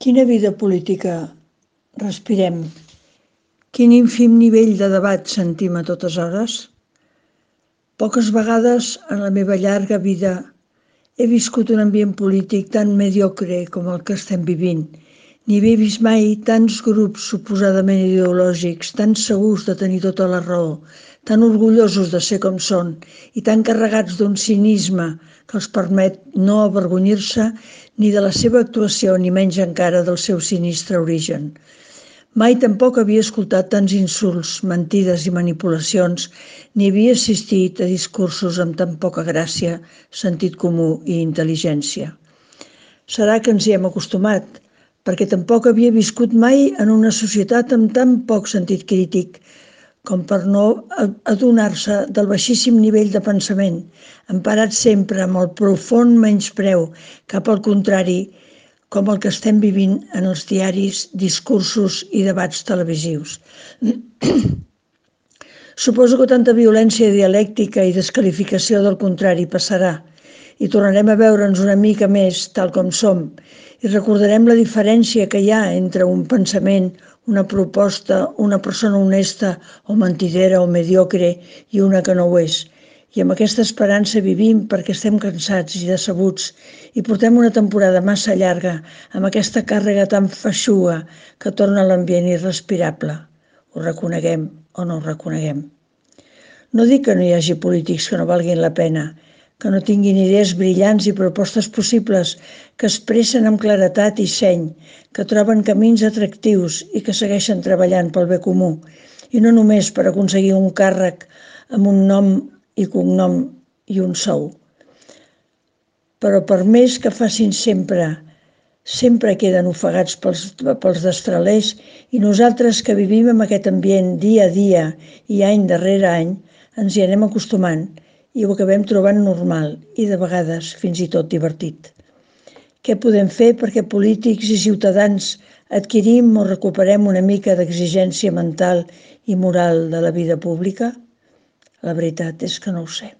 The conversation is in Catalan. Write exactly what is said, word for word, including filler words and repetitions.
Quina vida política respirem? Quin ínfim nivell de debat sentim a totes hores? Poques vegades en la meva llarga vida he viscut un ambient polític tan mediocre com el que estem vivint, ni havia vist mai tants grups suposadament ideològics, tan segurs de tenir tota la raó, tan orgullosos de ser com són i tan carregats d'un cinisme que els permet no avergonyir-se ni de la seva actuació ni menys encara del seu sinistre origen. Mai tampoc havia escoltat tants insults, mentides i manipulacions, ni havia assistit a discursos amb tan poca gràcia, sentit comú i intel·ligència. Serà que ens hi hem acostumat, perquè tampoc havia viscut mai en una societat amb tan poc sentit crític com per no adonar-se del baixíssim nivell de pensament, emparat sempre amb el profund menyspreu cap al contrari, com el que estem vivint en els diaris, discursos i debats televisius. Suposo que tanta violència dialèctica i desqualificació del contrari passarà i tornarem a veure'ns una mica més tal com som i recordarem la diferència que hi ha entre un pensament, una proposta, una persona honesta o mentidera o mediocre i una que no ho és. I amb aquesta esperança vivim perquè estem cansats i decebuts i portem una temporada massa llarga amb aquesta càrrega tan feixuga que torna l'ambient irrespirable. Ho reconeguem o no ho reconeguem. No dic que no hi hagi polítics que no valguin la pena, que no tinguin idees brillants i propostes possibles, que expressen amb claredat i seny, que troben camins atractius i que segueixen treballant pel bé comú, i no només per aconseguir un càrrec amb un nom i cognom i un sou. Però per més que facin sempre, sempre queden ofegats pels, pels destralers i nosaltres que vivim en aquest ambient dia a dia i any darrere any, ens hi anem acostumant i ho acabem trobant normal i de vegades fins i tot divertit. Què podem fer perquè polítics i ciutadans adquirim o recuperem una mica d'exigència mental i moral de la vida pública? La veritat és que no ho sé.